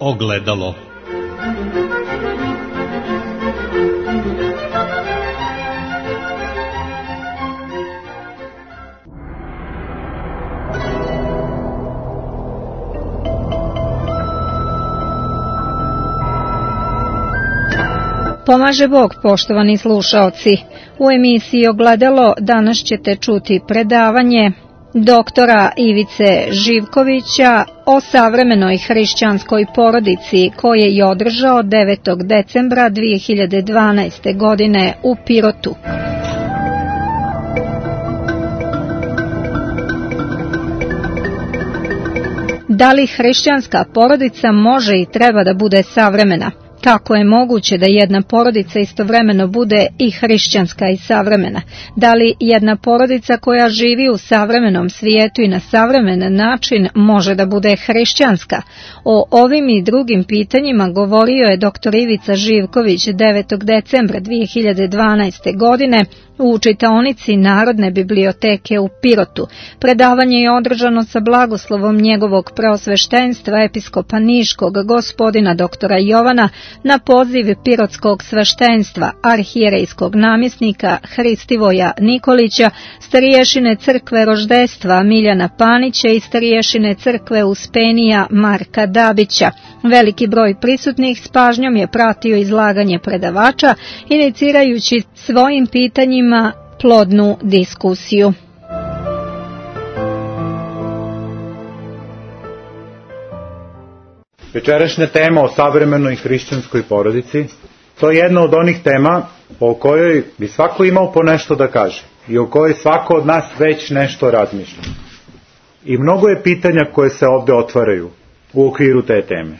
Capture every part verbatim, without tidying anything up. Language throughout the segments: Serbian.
Ogledalo. Pomaže Bog, poštovani slušaoci. U emisiji Ogledalo danas ćete čuti predavanje doktora Ivice Živkovića o savremenoj hrišćanskoj porodici koje je održao devetog decembra dve hiljade dvanaeste. godine u Pirotu. Da li hrišćanska porodica može i treba da bude savremena? Kako je moguće da jedna porodica istovremeno bude i hrišćanska i savremena? Da li jedna porodica koja živi u savremenom svijetu i na savremen način može da bude hrišćanska? O ovim i drugim pitanjima govorio je doktor Ivica Živković devetog decembra dve hiljade dvanaeste. godine u čitaonici Narodne biblioteke u Pirotu. Predavanje je održano sa blagoslovom njegovog preosveštenstva episkopa Niškog gospodina doktora Jovana na poziv pirotskog sveštenstva, arhijerejskog namjesnika Hristivoja Nikolića, stariješine crkve Roždestva Miljana Panića i stariješine crkve Uspenija Marka Dabića. Veliki broj prisutnih s pažnjom je pratio izlaganje predavača, inicirajući svojim pitanjima plodnu diskusiju. Večerašnja tema o savremenoj hrišćanskoj porodici, to je jedna od onih tema o kojoj bi svako imao po nešto da kaže i o kojoj svako od nas već nešto razmišlja. I mnogo je pitanja koje se ovde otvaraju u okviru te teme.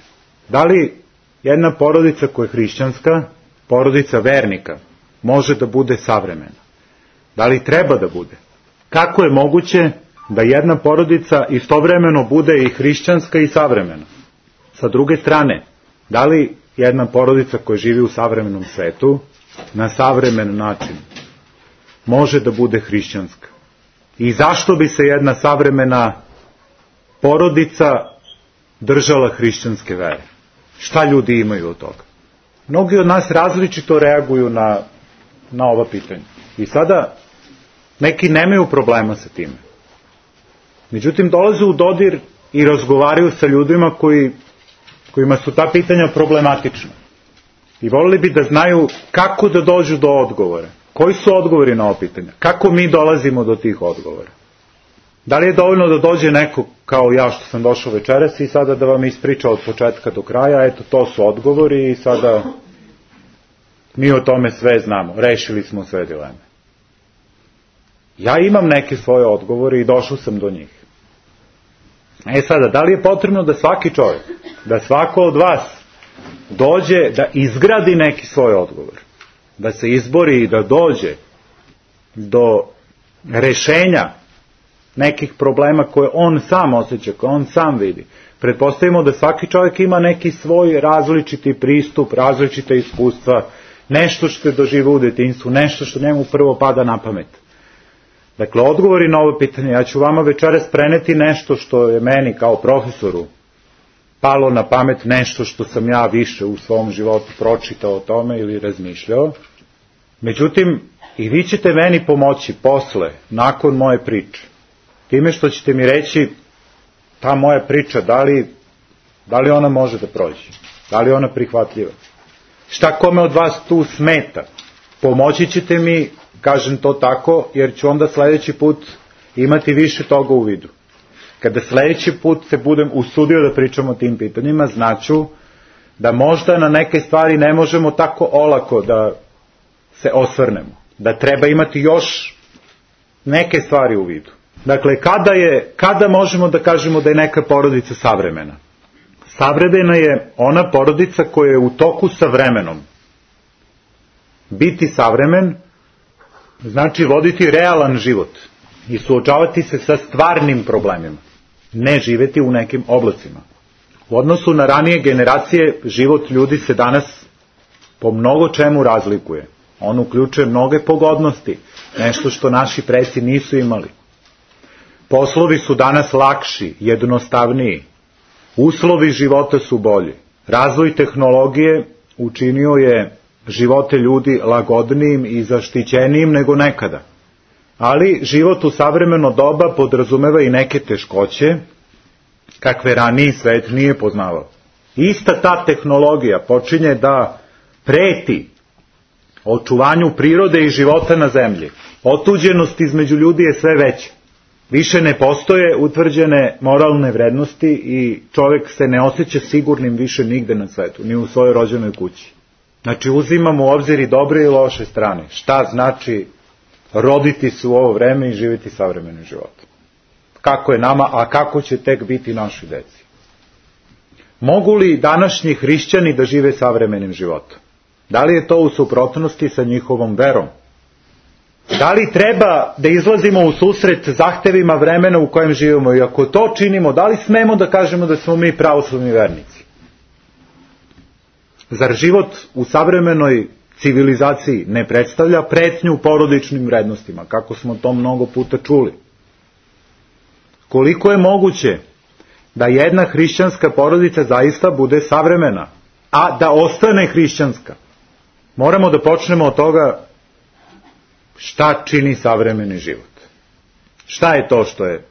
Da li jedna porodica koja je hrišćanska, porodica vernika, može da bude savremena? Da li treba da bude? Kako je moguće da jedna porodica istovremeno bude i hrišćanska i savremena? Sa druge strane, da li jedna porodica koja živi u savremenom svetu, na savremen način, može da bude hrišćanska? I zašto bi se jedna savremena porodica držala hrišćanske vere? Šta ljudi imaju od toga? Mnogi od nas različito reaguju na, na ova pitanja. I sada neki nemaju problema sa time. Međutim, dolaze u dodir i razgovaraju sa ljudima koji, kojima su ta pitanja problematična. I volili bi da znaju kako da dođu do odgovora. Koji su odgovori na ova pitanja? Kako mi dolazimo do tih odgovora? Da li je dovoljno da dođe neko kao ja što sam došao večeras i sada da vam ispriča od početka do kraja, eto to su odgovori i sada mi o tome sve znamo, rešili smo sve dileme. Ja imam neke svoje odgovore i došao sam do njih. E sada, da li je potrebno da svaki čovjek, da svako od vas dođe da izgradi neki svoj odgovor, da se izbori i da dođe do rešenja nekih problema koje on sam osjeća, koje on sam vidi. Pretpostavimo da svaki čovjek ima neki svoj različiti pristup, različite iskustva, nešto što je doživio u detinjstvu, nešto što njemu prvo pada na pamet. Dakle, odgovori na ovo pitanje, ja ću vama večeras preneti nešto što je meni kao profesoru palo na pamet, nešto što sam ja više u svom životu pročitao o tome ili razmišljao. Međutim, i vi ćete meni pomoći posle, nakon moje priče, time što ćete mi reći ta moja priča, da li, da li ona može da prođe, da li ona prihvatljiva. Šta kome od vas tu smeta? Pomoći ćete mi, kažem to tako, jer ću onda sledeći put imati više toga u vidu. Kada sledeći put se budem usudio da pričam o tim pitanjima, znaću da možda na neke stvari ne možemo tako olako da se osvrnemo. Da treba imati još neke stvari u vidu. Dakle, kada je, kada možemo da kažemo da je neka porodica savremena? Savremena je ona porodica koja je u toku sa vremenom. Biti savremen znači voditi realan život i suočavati se sa stvarnim problemima, ne živeti u nekim oblacima. U odnosu na ranije generacije, život ljudi se danas po mnogo čemu razlikuje. On uključuje mnoge pogodnosti, nešto što naši preci nisu imali. Poslovi su danas lakši, jednostavniji. Uslovi života su bolji. Razvoj tehnologije učinio je živote ljudi lagodnijim i zaštićenijim nego nekada. Ali život u savremeno doba podrazumeva i neke teškoće, kakve raniji svet nije poznavao. Ista ta tehnologija počinje da preti očuvanju prirode i života na zemlji. Otuđenost između ljudi je sve veća. Više ne postoje utvrđene moralne vrednosti i čovjek se ne osjeća sigurnim više nigde na svetu, ni u svojoj rođenoj kući. Znači uzimamo u obzir i dobre i loše strane. Šta znači roditi se u ovo vreme i živjeti savremenim životom? Kako je nama, a kako će tek biti naši deci? Mogu li današnji hrišćani da žive savremenim životom? Da li je to u suprotnosti sa njihovom verom? Da li treba da izlazimo u susret zahtevima vremena u kojem živimo? I ako to činimo, da li smemo da kažemo da smo mi pravoslavni vernici? Zar život u savremenoj civilizaciji ne predstavlja pretnju porodičnim vrednostima, kako smo to mnogo puta čuli? Koliko je moguće da jedna hrišćanska porodica zaista bude savremena, a da ostane hrišćanska? Moramo da počnemo od toga šta čini savremeni život. Šta je to što je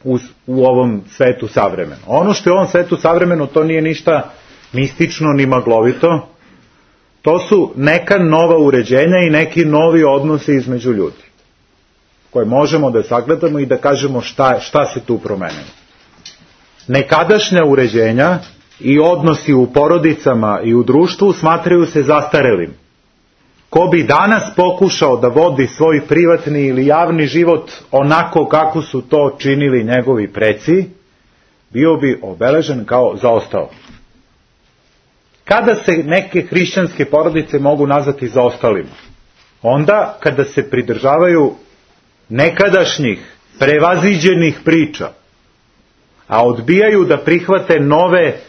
u, u ovom svetu savremeno? Ono što je u ovom svetu savremeno, to nije ništa mistično ni maglovito. To su neka nova uređenja i neki novi odnosi između ljudi, koje možemo da sagledamo i da kažemo šta, šta se tu promenilo. Nekadašnja uređenja i odnosi u porodicama i u društvu smatraju se zastarelim. Ko bi danas pokušao da vodi svoj privatni ili javni život onako kako su to činili njegovi preci, bio bi obeležen kao zaostao. Kada se neke hrišćanske porodice mogu nazvati zaostalima? Onda kada se pridržavaju nekadašnjih, prevaziđenih priča, a odbijaju da prihvate nove,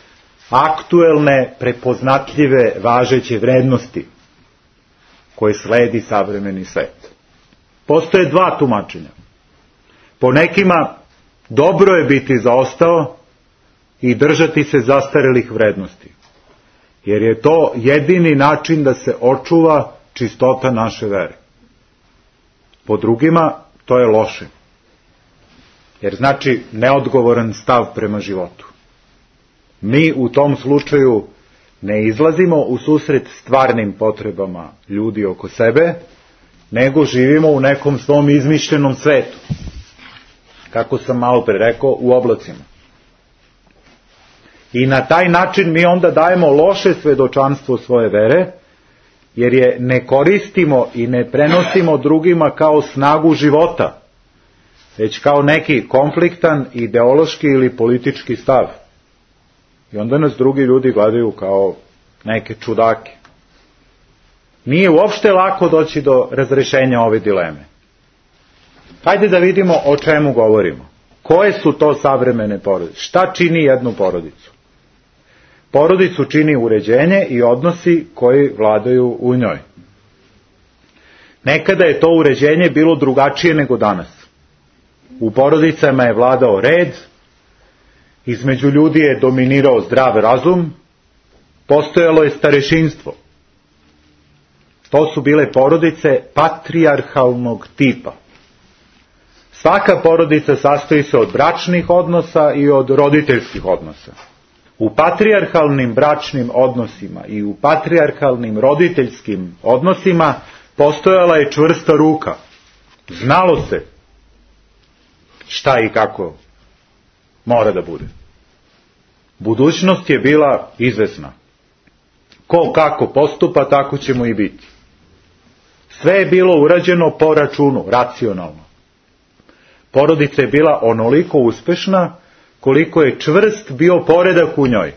aktuelne, prepoznatljive, važeće vrednosti koje sledi savremeni svet. Postoje dva tumačenja. Po nekima dobro je biti zaostao i držati se zastarelih vrednosti, jer je to jedini način da se očuva čistota naše vere. Po drugima to je loše, jer znači neodgovoran stav prema životu. Mi u tom slučaju ne izlazimo u susret stvarnim potrebama ljudi oko sebe, nego živimo u nekom svom izmišljenom svetu. Kako sam malo pre rekao, u oblacima. I na taj način mi onda dajemo loše svedočanstvo svoje vere, jer je ne koristimo i ne prenosimo drugima kao snagu života, već kao neki konfliktan, ideološki ili politički stav. I onda nas drugi ljudi gledaju kao neke čudake. Nije uopšte lako doći do razrešenja ove dileme. Hajde da vidimo o čemu govorimo. Koje su to savremene porodice? Šta čini jednu porodicu? Porodicu čini uređenje i odnosi koji vladaju u njoj. Nekada je to uređenje bilo drugačije nego danas. U porodicama je vladao red, između ljudi je dominirao zdrav razum, postojalo je starešinstvo. To su bile porodice patrijarhalnog tipa. Svaka porodica sastoji se od bračnih odnosa i od roditeljskih odnosa. U patrijarhalnim bračnim odnosima i u patrijarhalnim roditeljskim odnosima postojala je čvrsta ruka. Znalo se šta i kako mora da bude. Budućnost je bila izvesna. Ko kako postupa, tako ćemo i biti. Sve je bilo urađeno po računu, racionalno. Porodica je bila onoliko uspešna koliko je čvrst bio poredak u njoj.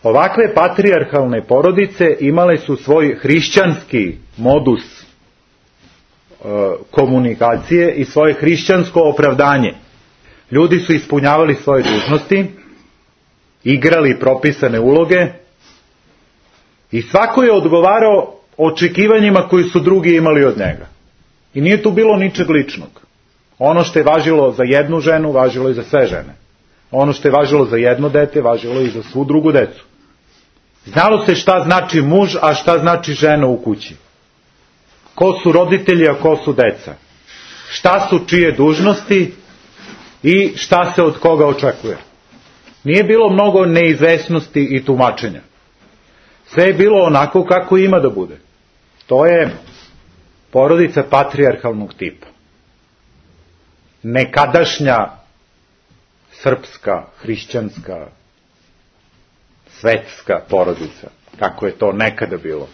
Ovakve patrijarhalne porodice imale su svoj hrišćanski modus e, komunikacije i svoje hrišćansko opravdanje. Ljudi su ispunjavali svoje dužnosti, igrali propisane uloge i svako je odgovarao očekivanjima koji su drugi imali od njega. I nije tu bilo ničeg ličnog. Ono što je važilo za jednu ženu, važilo i za sve žene. Ono što je važilo za jedno dete, važilo i za svu drugu decu. Znalo se šta znači muž, a šta znači žena u kući. Ko su roditelji, a ko su deca. Šta su čije dužnosti i šta se od koga očekuje. Nije bilo mnogo neizvesnosti i tumačenja. Sve je bilo onako kako ima da bude. To je porodica patrijarhalnog tipa. Nekadašnja srpska, hrišćanska, svetska porodica, kako je to nekada bilo.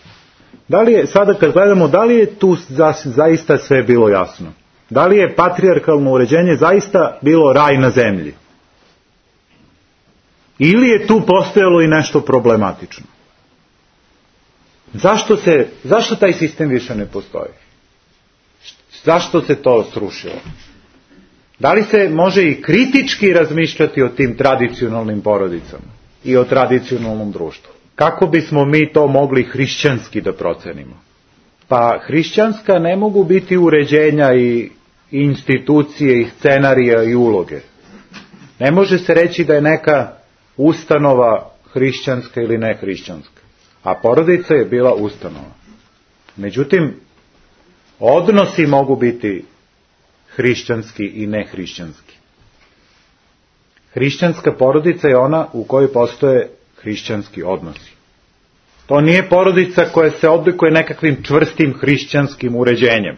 Da li je, sada kad gledamo, da li je tu za, zaista sve bilo jasno? Da li je patrijarhalno uređenje zaista bilo raj na zemlji? Ili je tu postojalo i nešto problematično? Zašto se, zašto taj sistem više ne postoji? Zašto se to srušilo? Da li se može i kritički razmišljati o tim tradicionalnim porodicama i o tradicionalnom društvu? Kako bismo mi to mogli hrišćanski da procenimo? Pa hrišćanska ne mogu biti uređenja i institucije i scenarija i uloge. Ne može se reći da je neka ustanova hrišćanska ili ne hrišćanska. A porodica je bila ustanova. Međutim, odnosi mogu biti hrišćanski i nehrišćanski. Hrišćanska porodica je ona u kojoj postoje hrišćanski odnosi. To nije porodica koja se odlikuje nekakvim čvrstim hrišćanskim uređenjem.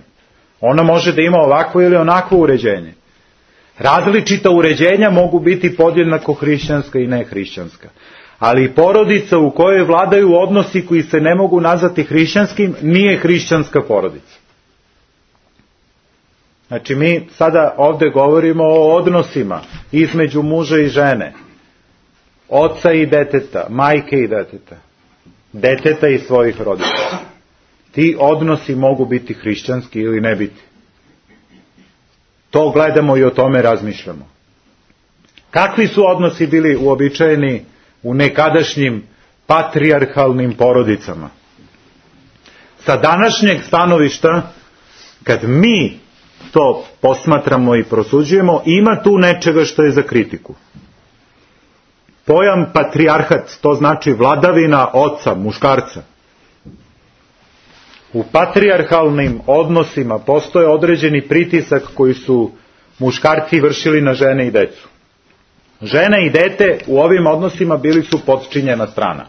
Ona može da ima ovakvo ili onakvo uređenje. Različita uređenja mogu biti podjednako hrišćanska i nehrišćanska. Ali porodica u kojoj vladaju odnosi koji se ne mogu nazvati hrišćanskim nije hrišćanska porodica. Znači mi sada ovdje govorimo o odnosima između muža i žene, oca i deteta, majke i deteta, deteta i svojih roditelja. Ti odnosi mogu biti hrišćanski ili ne biti. To gledamo i o tome razmišljamo. Kakvi su odnosi bili uobičajeni u nekadašnjim patrijarhalnim porodicama? Sa današnjeg stanovišta, kad mi to posmatramo i prosuđujemo, ima tu nečega što je za kritiku. Pojam patrijarhat, to znači vladavina oca, muškarca. U patrijarhalnim odnosima postoje određeni pritisak koji su muškarci vršili na žene i decu. Žena i dete u ovim odnosima bili su potčinjena strana.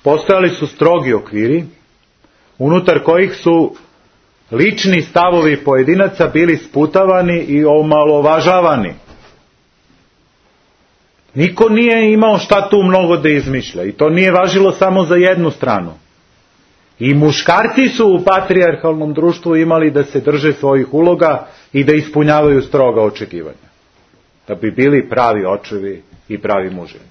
Postojali su strogi okviri, unutar kojih su lični stavovi pojedinaca bili sputavani i omalovažavani. Niko nije imao šta tu mnogo da izmišlja i to nije važilo samo za jednu stranu. I muškarci su u patrijarhalnom društvu imali da se drže svojih uloga i da ispunjavaju stroga očekivanja. Da bi bili pravi očevi i pravi muževi.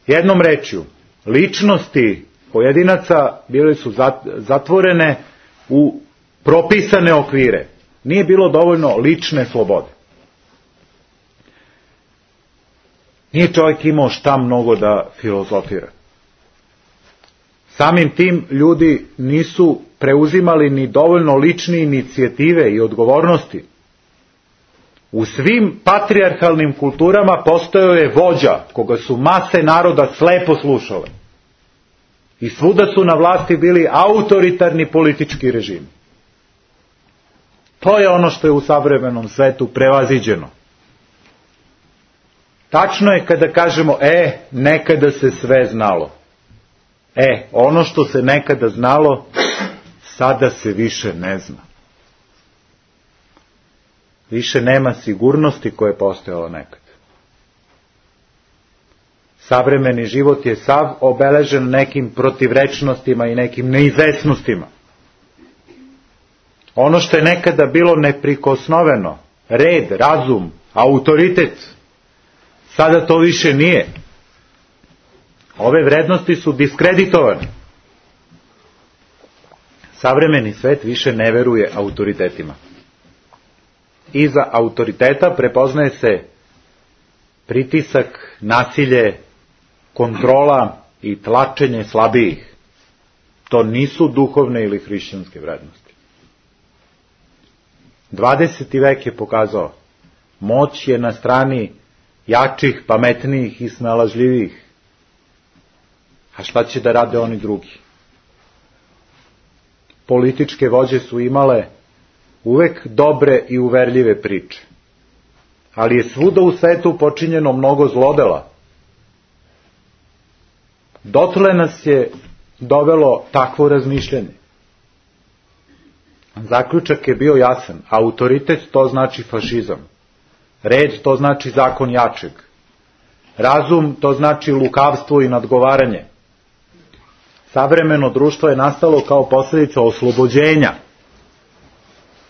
Jednom rečju, ličnosti pojedinaca bile su zatvorene u propisane okvire. Nije bilo dovoljno lične slobode. Nije čovjek imao šta mnogo da filozofira. Samim tim ljudi nisu preuzimali ni dovoljno lične inicijative i odgovornosti. U svim patrijarhalnim kulturama postojao je vođa, koga su mase naroda slepo slušale. I svuda su na vlasti bili autoritarni politički režimi. To je ono što je u savremenom svetu prevaziđeno. Tačno je kada kažemo, e, nekada se sve znalo. E, ono što se nekada znalo, sada se više ne zna. Više nema sigurnosti koja je postojala nekad. Savremeni život je sav obeležen nekim protivrečnostima i nekim neizvesnostima. Ono što je nekada bilo neprikosnoveno, red, razum, autoritet, sada to više nije. Ove vrednosti su diskreditovane. Savremeni svet više ne veruje autoritetima. Iza autoriteta prepoznaje se pritisak, nasilje, kontrola i tlačenje slabijih. To nisu duhovne ili hrišćanske vrednosti. dvadeseti vek je pokazao, moć je na strani jačih, pametnijih i snalažljivih, A šta će da rade oni drugi? Političke vođe su imale uvek dobre i uverljive priče. Ali je svuda u svetu počinjeno mnogo zlodela. Dotle nas je dovelo takvo razmišljanje. Zaključak je bio jasan. Autoritet to znači fašizam. Red to znači zakon jačeg. Razum to znači lukavstvo i nadgovaranje. Savremeno društvo je nastalo kao posljedica oslobođenja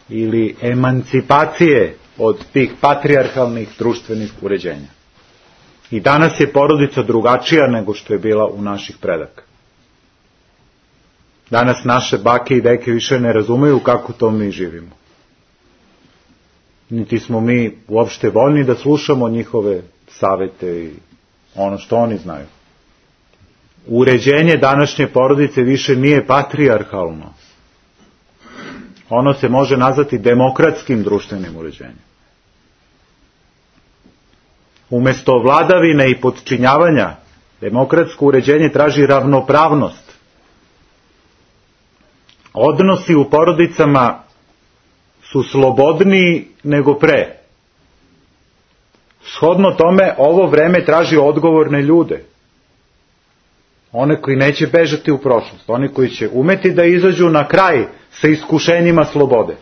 ili emancipacije od tih patrijarhalnih društvenih uređenja. I danas je porodica drugačija nego što je bila u naših predaka. Danas naše bake i deke više ne razumeju kako to mi živimo. Niti smo mi uopšte voljni da slušamo njihove savete i ono što oni znaju. Uređenje današnje porodice više nije patrijarhalno. Ono se može nazvati demokratskim društvenim uređenjem. Umesto vladavine i podčinjavanja, demokratsko uređenje traži ravnopravnost. Odnosi u porodicama su slobodniji nego pre. Shodno tome, ovo vreme traži odgovorne ljude. One koji neće bežati u prošlost, oni koji će umeti da izađu na kraj sa iskušenjima slobode.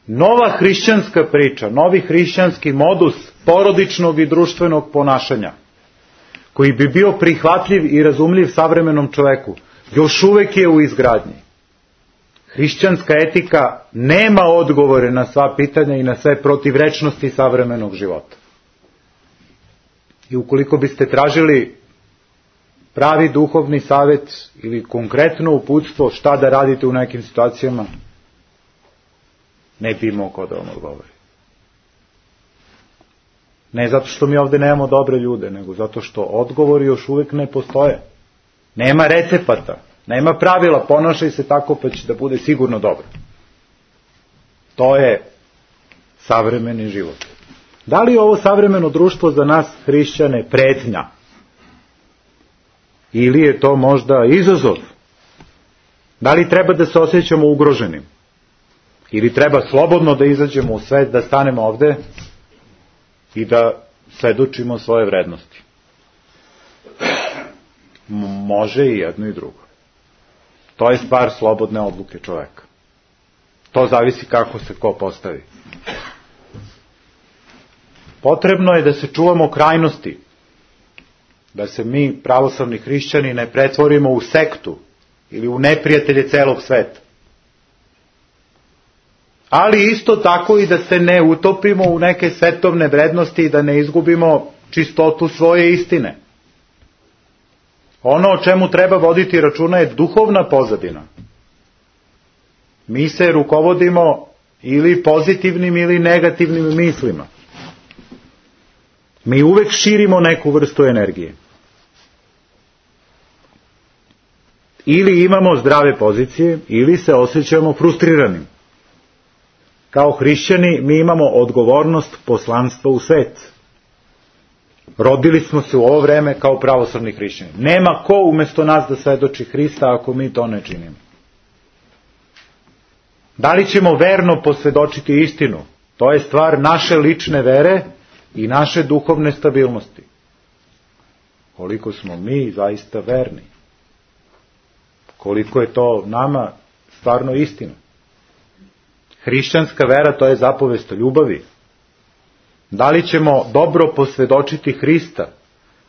Nova hrišćanska priča, novi hrišćanski modus porodičnog i društvenog ponašanja, koji bi bio prihvatljiv i razumljiv savremenom čoveku, još uvek je u izgradnji. Hrišćanska etika nema odgovore na sva pitanja i na sve protivrečnosti savremenog života. I ukoliko biste tražili pravi duhovni savjet ili konkretno uputstvo šta da radite u nekim situacijama, ne bi imao ko da vam odgovori. Ne zato što mi ovde nemamo dobre ljude, nego zato što odgovori još uvek ne postoje. Nema recepata, nema pravila, ponašaj se tako pa će da bude sigurno dobro. To je savremeni život. Da li je ovo savremeno društvo za nas hrišćane pretnja? Ili je to možda izazov? Da li treba da se osjećamo ugroženim? Ili treba slobodno da izađemo u svet, da stanemo ovde i da svedočimo svoje vrednosti? Može i jedno i drugo. To je stvar slobodne odluke čoveka. To zavisi kako se ko postavi. Potrebno je da se čuvamo krajnosti, da se mi, pravoslavni hrišćani, ne pretvorimo u sektu ili u neprijatelje celog sveta. Ali isto tako i da se ne utopimo u neke svetovne vrednosti i da ne izgubimo čistotu svoje istine. Ono o čemu treba voditi računa je duhovna pozadina. Mi se rukovodimo ili pozitivnim ili negativnim mislima. Mi uvek širimo neku vrstu energije. Ili imamo zdrave pozicije, ili se osjećamo frustriranim. Kao hrišćani mi imamo odgovornost poslanstva u svet. Rodili smo se u ovo vreme kao pravoslavni hrišćani. Nema ko umesto nas da svedoči Hrista ako mi to ne činimo. Da li ćemo verno posvedočiti istinu? To je stvar naše lične vere i naše duhovne stabilnosti. Koliko smo mi zaista verni? Koliko je to nama stvarno istina? Hrišćanska vera, to je zapovest o ljubavi. Da li ćemo dobro posvedočiti Hrista?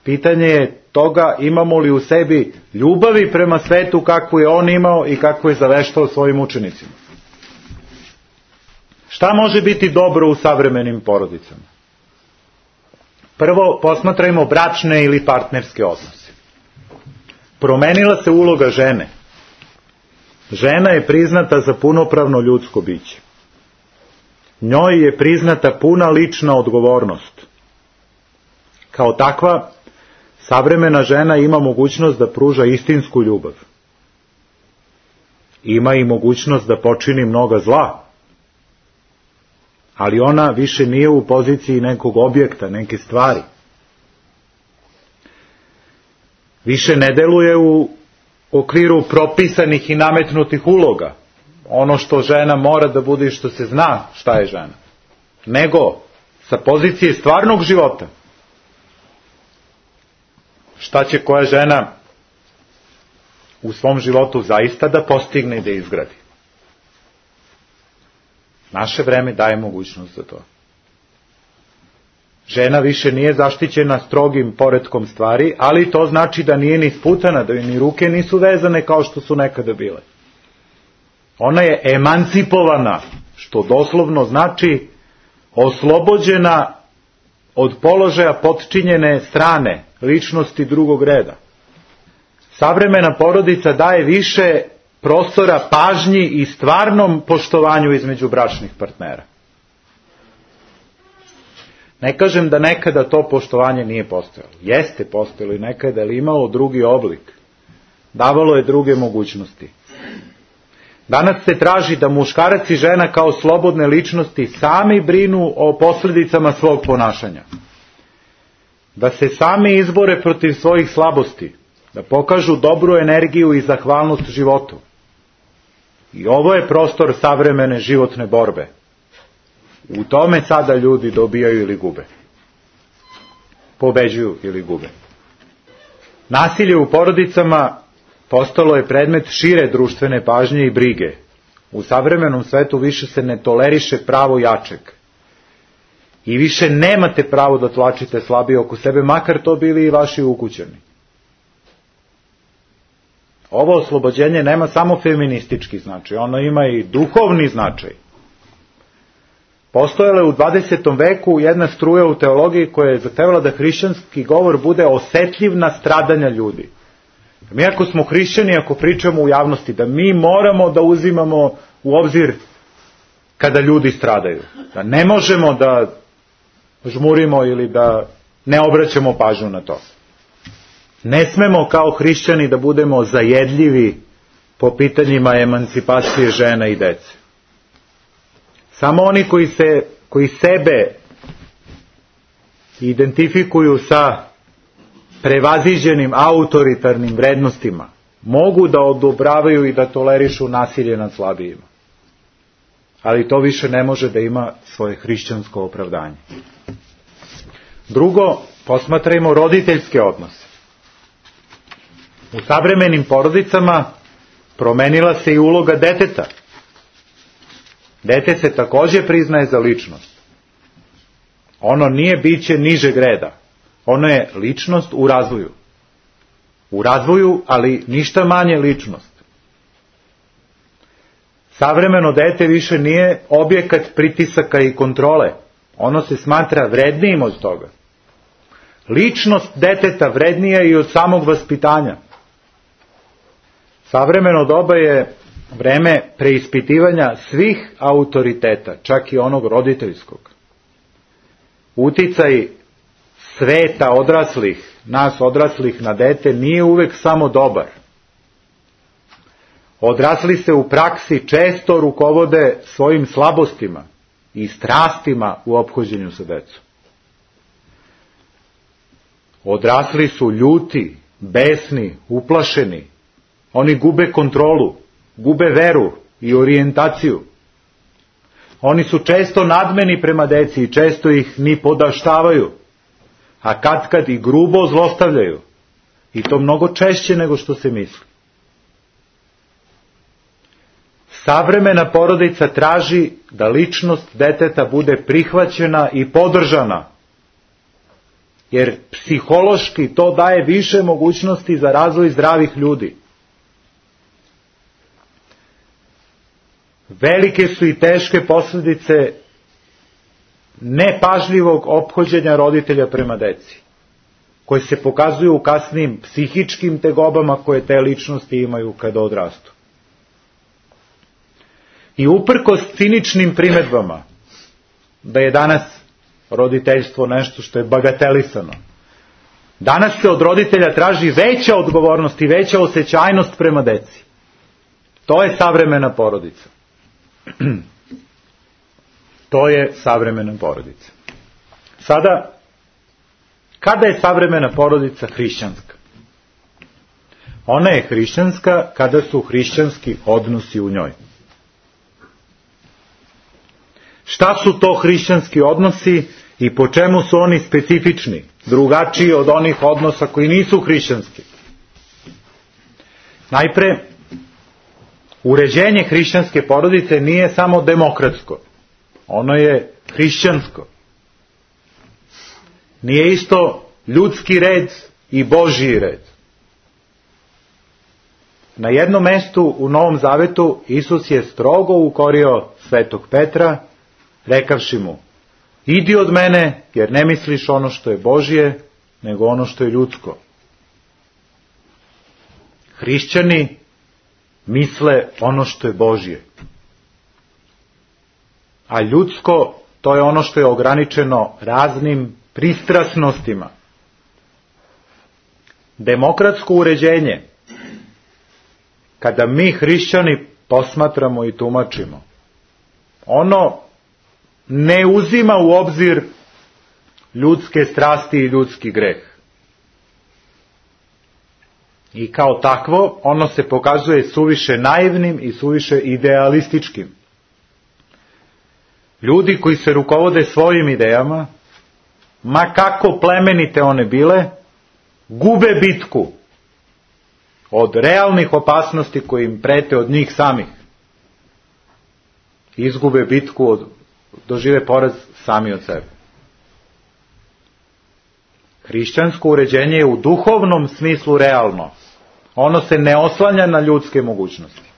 Pitanje je toga imamo li u sebi ljubavi prema svetu kakvu je on imao i kakvu je zaveštao svojim učenicima. Šta može biti dobro u savremenim porodicama? Prvo, posmatrajmo bračne ili partnerske odnose. Promenila se uloga žene. Žena je priznata za punopravno ljudsko biće. Njoj je priznata puna lična odgovornost. Kao takva, savremena žena ima mogućnost da pruža istinsku ljubav. Ima i mogućnost da počini mnoga zla. Ali ona više nije u poziciji nekog objekta, neke stvari. više ne deluje u okviru propisanih i nametnutih uloga, ono što žena mora da bude i što se zna šta je žena, nego sa pozicije stvarnog života. Šta će koja žena u svom životu zaista da postigne i da izgradi. Naše vreme daje mogućnost za to. Žena više nije zaštićena strogim poretkom stvari, ali to znači da nije ni sputana, da joj ni ruke nisu vezane kao što su nekada bile. Ona je emancipovana, što doslovno znači oslobođena od položaja potčinjene strane, ličnosti drugog reda. Savremena porodica daje više prostora pažnji i stvarnom poštovanju između bračnih partnera. Ne kažem da nekada to poštovanje nije postojalo. Jeste postojalo i nekada, ali imalo drugi oblik. Davalo je druge mogućnosti. Danas se traži da muškarac i žena kao slobodne ličnosti sami brinu o posljedicama svog ponašanja. Da se sami izbore protiv svojih slabosti. Da pokažu dobru energiju i zahvalnost životu. I ovo je prostor savremene životne borbe. U tome sada ljudi dobijaju ili gube. Pobeđuju ili gube. Nasilje u porodicama postalo je predmet šire društvene pažnje i brige. U savremenom svetu više se ne toleriše pravo jačeg. I više nemate pravo da tlačite slabije oko sebe, makar to bili i vaši ukućani. Ovo oslobođenje nema samo feministički značaj, ono ima i duhovni značaj. Postojala je u dvadesetom veku jedna struja u teologiji koja je zahtevala da hrišćanski govor bude osetljiv na stradanja ljudi. Mi ako smo hrišćani, ako pričamo u javnosti, da mi moramo da uzimamo u obzir kada ljudi stradaju. Da ne možemo da žmurimo ili da ne obraćamo pažnju na to. Ne smemo kao hrišćani da budemo zajedljivi po pitanjima emancipacije žena i dece. Samo oni koji, se, koji sebe identifikuju sa prevaziđenim autoritarnim vrednostima mogu da odobravaju i da tolerišu nasilje nad slabijima. Ali to više ne može da ima svoje hrišćansko opravdanje. Drugo, posmatrajmo roditeljske odnose. U savremenim porodicama promenila se i uloga deteta. Dete se takođe priznaje za ličnost. Ono nije biće nižeg reda. Ono je ličnost u razvoju. U razvoju, ali ništa manje ličnost. Savremeno dete više nije objekat pritisaka i kontrole. Ono se smatra vrednijim od toga. Ličnost deteta vrednija i od samog vaspitanja. Savremeno doba je vreme preispitivanja svih autoriteta, čak i onog roditeljskog. Uticaj sveta odraslih, nas odraslih na dete nije uvek samo dobar. Odrasli se u praksi često rukovode svojim slabostima i strastima u ophođenju sa decom. Odrasli su ljuti, besni, uplašeni. Oni gube kontrolu, gube veru i orijentaciju. Oni su često nadmeni prema deci i često ih ni podaštavaju, a katkad i grubo zlostavljaju. I to mnogo češće nego što se misli. Savremena porodica traži da ličnost deteta bude prihvaćena i podržana, jer psihološki to daje više mogućnosti za razvoj zdravih ljudi. Velike su i teške posljedice nepažljivog ophođenja roditelja prema deci, koje se pokazuju u kasnim psihičkim tegobama koje te ličnosti imaju kada odrastu. I uprkos ciničnim primedbama da je danas roditeljstvo nešto što je bagatelisano, danas se od roditelja traži veća odgovornost i veća osjećajnost prema deci. To je savremena porodica. To je savremena porodica. Sada, kada je savremena porodica hrišćanska? Ona je hrišćanska kada su hrišćanski odnosi u njoj. Šta su to hrišćanski odnosi i po čemu su oni specifični, drugačiji od onih odnosa koji nisu hrišćanski? Najpre, uređenje hrišćanske porodice nije samo demokratsko, ono je hrišćansko. Nije isto ljudski red i Božji red. Na jednom mestu u Novom Zavetu Isus je strogo ukorio svetog Petra, rekavši mu: idi od mene, jer ne misliš ono što je Božje, nego ono što je ljudsko. Hrišćani misle ono što je Božje. A ljudsko, to je ono što je ograničeno raznim pristrasnostima. Demokratsko uređenje, kada mi hrišćani posmatramo i tumačimo, ono ne uzima u obzir ljudske strasti i ljudski greh. I kao takvo, ono se pokazuje suviše naivnim i suviše idealističkim. Ljudi koji se rukovode svojim idejama, ma kako plemenite one bile, gube bitku od realnih opasnosti koji im prete od njih samih. Izgube bitku, od, dožive poraz sami od sebe. Hrišćansko uređenje je u duhovnom smislu realno. Ono se ne oslanja na ljudske mogućnosti.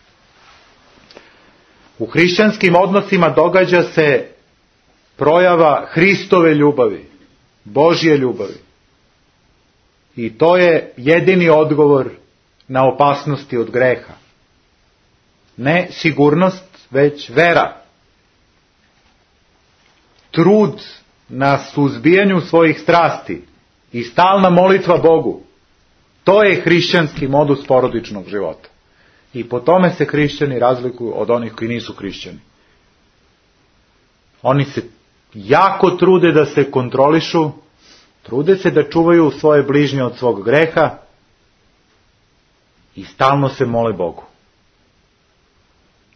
U hrišćanskim odnosima događa se projava Hristove ljubavi, Božje ljubavi. I to je jedini odgovor na opasnosti od greha. Ne sigurnost, već vera. Trud na suzbijanju svojih strasti i stalna molitva Bogu. To je hrišćanski modus porodičnog života. I po tome se hrišćani razlikuju od onih koji nisu hrišćani. Oni se jako trude da se kontrolišu, trude se da čuvaju svoje bližnje od svog greha i stalno se mole Bogu.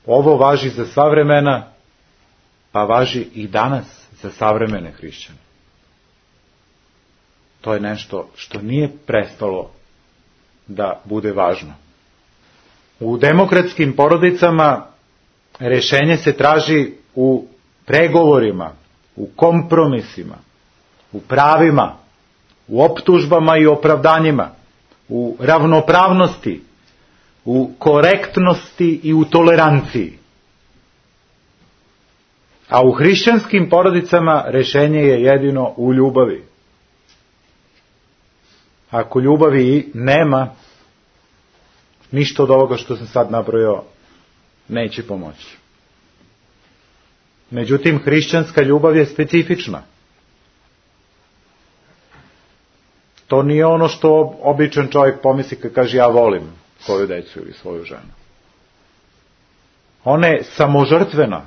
Ovo važi za sva vremena, pa važi i danas za savremene hrišćane. To je nešto što nije prestalo da bude važno. U demokratskim porodicama rešenje se traži u pregovorima, u kompromisima, u pravima, u optužbama i opravdanjima, u ravnopravnosti, u korektnosti i u toleranciji. A u hrišćanskim porodicama rešenje je jedino u ljubavi. Ako ljubavi nema, ništa od ovoga što sam sad nabrojao neće pomoći. Međutim, hrišćanska ljubav je specifična. To nije ono što običan čovjek pomisli kad kaže ja volim svoju decu ili svoju ženu. Ona je samožrtvena.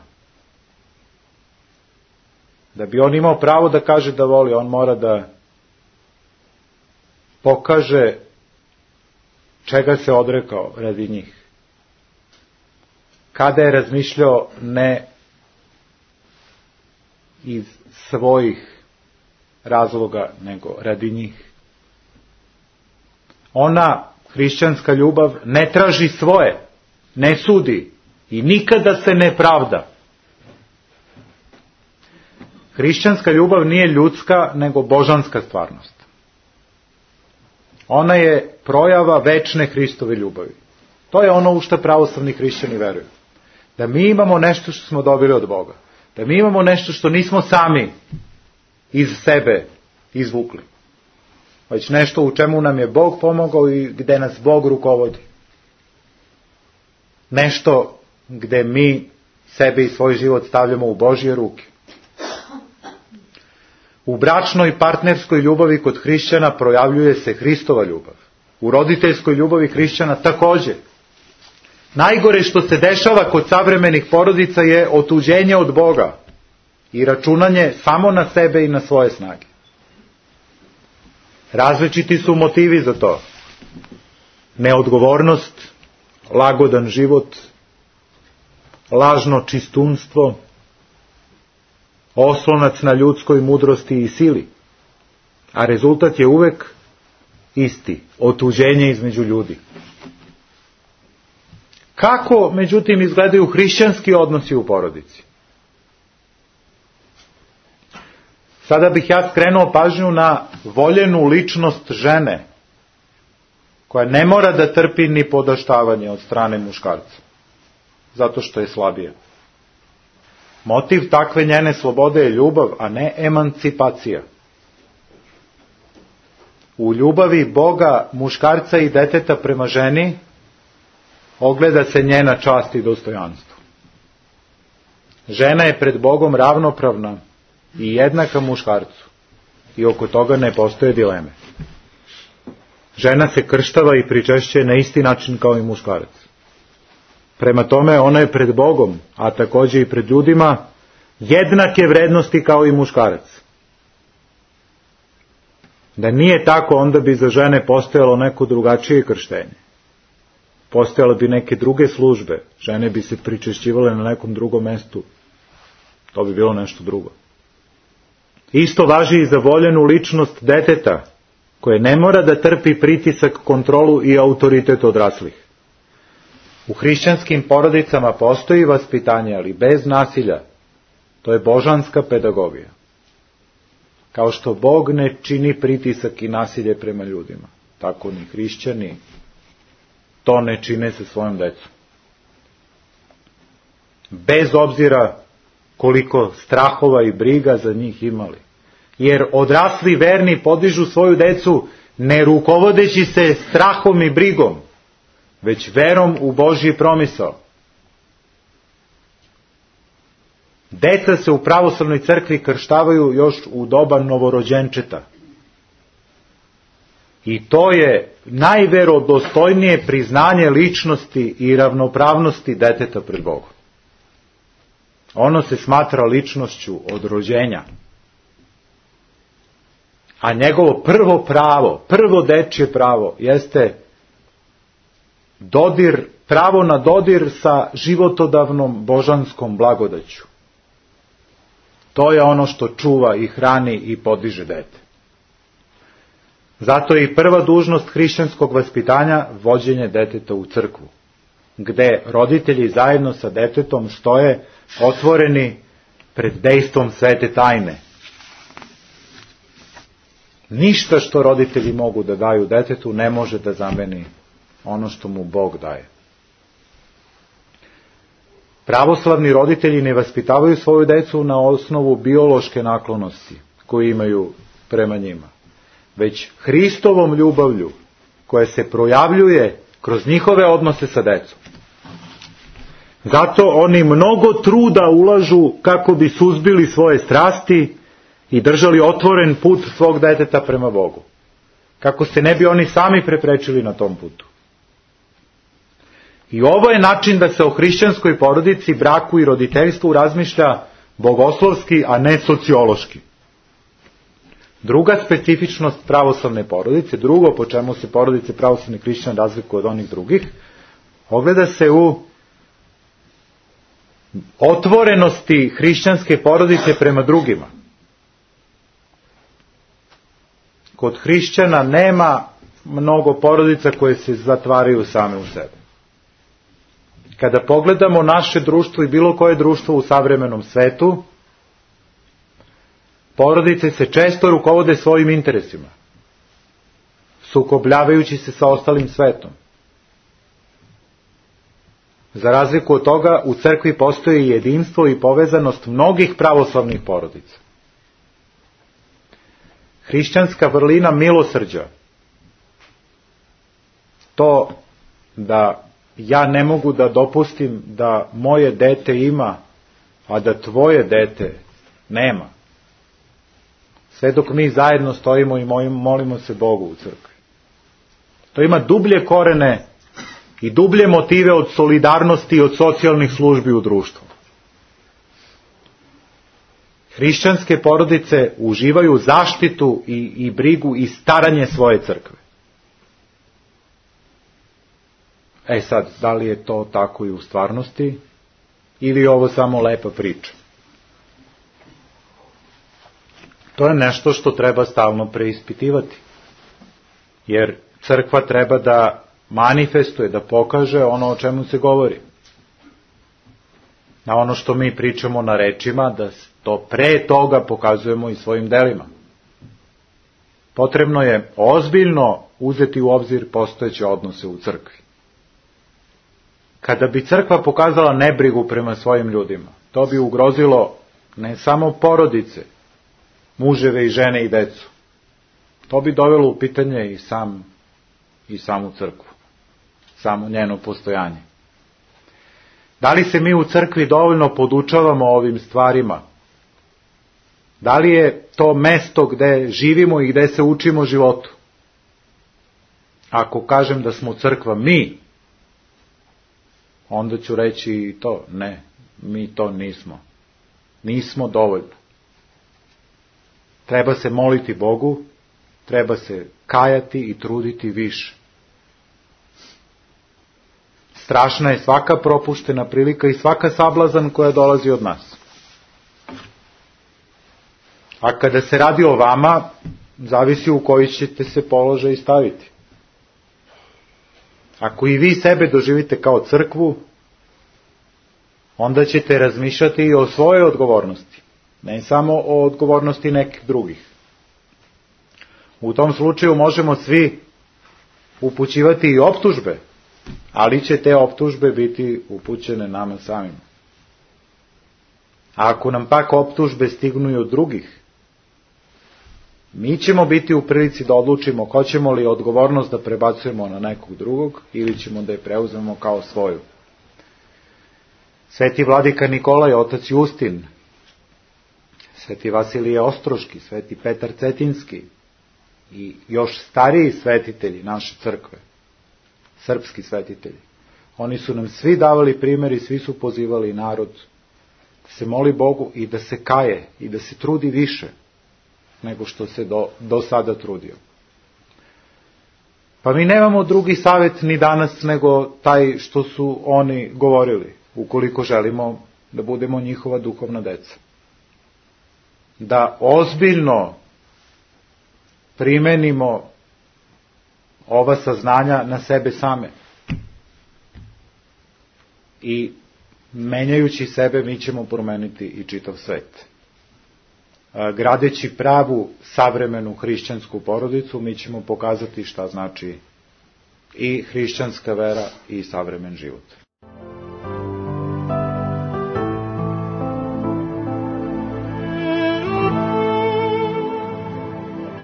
Da bi on imao pravo da kaže da voli, on mora da pokaže čega se odrekao radi njih. Kada je razmišljao ne iz svojih razloga, nego radi njih. Ona, hrišćanska ljubav, ne traži svoje, ne sudi i nikada se ne pravda. Hrišćanska ljubav nije ljudska, nego božanska stvarnost. Ona je projava večne Hristove ljubavi. To je ono u što pravoslavni hrišćani veruju. Da mi imamo nešto što smo dobili od Boga. Da mi imamo nešto što nismo sami iz sebe izvukli. Već nešto u čemu nam je Bog pomogao i gde nas Bog rukovodi. Nešto gde mi sebe i svoj život stavljamo u Božje ruke. U bračnoj partnerskoj ljubavi kod hrišćana projavljuje se Hristova ljubav. U roditeljskoj ljubavi hrišćana također. Najgore što se dešava kod savremenih porodica je otuđenje od Boga i računanje samo na sebe i na svoje snage. Različiti su motivi za to. neodgovornost, lagodan život, lažno čistunstvo, oslonac na ljudskoj mudrosti i sili, a rezultat je uvek isti, otuđenje između ljudi. Kako, međutim, izgledaju hrišćanski odnosi u porodici? Sada bih ja skrenuo pažnju na voljenu ličnost žene, koja ne mora da trpi ni podaštavanje od strane muškarca, zato što je slabija. Motiv takve njene slobode je ljubav, a ne emancipacija. U ljubavi Boga, muškarca i deteta prema ženi ogleda se njena čast i dostojanstvo. Žena je pred Bogom ravnopravna i jednaka muškarcu i oko toga ne postoje dileme. Žena se krštava i pričešćuje na isti način kao i muškarac. Prema tome ona je pred Bogom, a takođe i pred ljudima, jednake vrednosti kao i muškarac. Da nije tako, onda bi za žene postojalo neko drugačije krštenje. Postojale bi neke druge službe, žene bi se pričešćivale na nekom drugom mestu. To bi bilo nešto drugo. Isto važi i za voljenu ličnost deteta, koje ne mora da trpi pritisak, kontrolu i autoritet odraslih. U hrišćanskim porodicama postoji vaspitanje, ali bez nasilja. To je božanska pedagogija. Kao što Bog ne čini pritisak i nasilje prema ljudima, tako ni hrišćani to ne čine sa svojom decom. Bez obzira koliko strahova i briga za njih imali. Jer odrasli verni podižu svoju decu ne rukovodeći se strahom i brigom, već verom u Božji promisao. Deca se u pravoslavnoj crkvi krštavaju još u doba novorođenčeta. I to je najverodostojnije priznanje ličnosti i ravnopravnosti deteta pred Bogom. Ono se smatra ličnošću od rođenja. A njegovo prvo pravo, prvo dečje pravo, jeste dodir, pravo na dodir sa životodavnom božanskom blagodaću. To je ono što čuva i hrani i podiže dete. Zato je i prva dužnost hrišćanskog vaspitanja vođenje deteta u crkvu, gde roditelji zajedno sa detetom stoje otvoreni pred dejstvom svete tajne. Ništa što roditelji mogu da daju detetu ne može da zameni ono što mu Bog daje. Pravoslavni roditelji ne vaspitavaju svoju decu na osnovu biološke naklonosti koju imaju prema njima, već Hristovom ljubavlju koja se projavljuje kroz njihove odnose sa decom. Zato oni mnogo truda ulažu kako bi suzbili svoje strasti i držali otvoren put svog deteta prema Bogu, kako se ne bi oni sami preprečili na tom putu. I ovo je način da se o hrišćanskoj porodici, braku i roditeljstvu razmišlja bogoslovski, a ne sociološki. Druga specifičnost pravoslavne porodice, drugo po čemu se porodice pravoslavnih hrišćana razlikuju od onih drugih, ogleda se u otvorenosti hrišćanske porodice prema drugima. Kod hrišćana nema mnogo porodica koje se zatvaraju same u sebe. Kada pogledamo naše društvo i bilo koje društvo u savremenom svetu, porodice se često rukovode svojim interesima, sukobljavajući se sa ostalim svetom. Za razliku od toga, u crkvi postoji jedinstvo i povezanost mnogih pravoslavnih porodica. Hrišćanska vrlina milosrđa, to da ja ne mogu da dopustim da moje dete ima, a da tvoje dete nema. Sve dok mi zajedno stojimo i molimo se Bogu u crkvi. To ima dublje korene i dublje motive od solidarnosti i od socijalnih službi u društvu. Hrišćanske porodice uživaju zaštitu i, i brigu i staranje svoje crkve. E sad, da li je to tako i u stvarnosti, ili je ovo samo lepa priča? To je nešto što treba stalno preispitivati, jer crkva treba da manifestuje, da pokaže ono o čemu se govori. Na ono što mi pričamo na rečima, da to pre toga pokazujemo i svojim delima. Potrebno je ozbiljno uzeti u obzir postojeće odnose u crkvi. Kada bi crkva pokazala nebrigu prema svojim ljudima, to bi ugrozilo ne samo porodice, muževe i žene i decu. To bi dovelo u pitanje i sam i samu crkvu, samo njeno postojanje. Da li se mi u crkvi dovoljno podučavamo ovim stvarima? Da li je to mesto gde živimo i gde se učimo životu? Ako kažem da smo crkva mi, onda ću reći i to, ne, mi to nismo. Nismo dovoljno. Treba se moliti Bogu, treba se kajati i truditi više. Strašna je svaka propuštena prilika i svaka sablazan koja dolazi od nas. A kada se radi o vama, zavisi u koji ćete se položaj staviti. Ako i vi sebe doživite kao crkvu, onda ćete razmišljati i o svojoj odgovornosti, ne samo o odgovornosti nekih drugih. U tom slučaju možemo svi upućivati i optužbe, ali će te optužbe biti upućene nama samima. A ako nam pak optužbe stignu i od drugih, mi ćemo biti u prilici da odlučimo hoćemo li odgovornost da prebacujemo na nekog drugog ili ćemo da je preuzmemo kao svoju. Sveti vladika Nikolaj, otac Justin, sveti Vasilije Ostroški, sveti Petar Cetinski i još stariji svetitelji naše crkve, srpski svetitelji, oni su nam svi davali primjer i svi su pozivali narod da se moli Bogu i da se kaje i da se trudi više nego što se do, do sada trudio. Pa mi nemamo drugi savjet ni danas nego taj što su oni govorili, ukoliko želimo da budemo njihova duhovna deca. Da ozbiljno primenimo ova saznanja na sebe same. I menjajući sebe mi ćemo promeniti i čitav svet. Gradeći pravu savremenu hrišćansku porodicu, mi ćemo pokazati šta znači i hrišćanska vera i savremen život.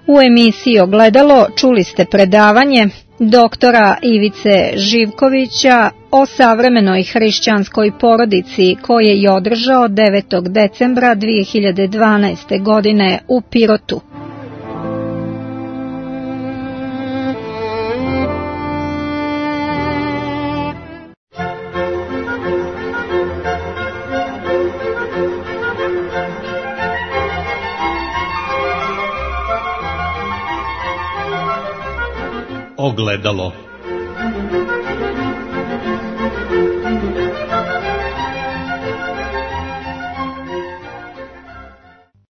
U emisiji Ogledalo čuli ste predavanje doktora Ivice Živkovića o savremenoj hrišćanskoj porodici koje je održao devetog decembra dve hiljade dvanaeste. godine u Pirotu. Ogledalo.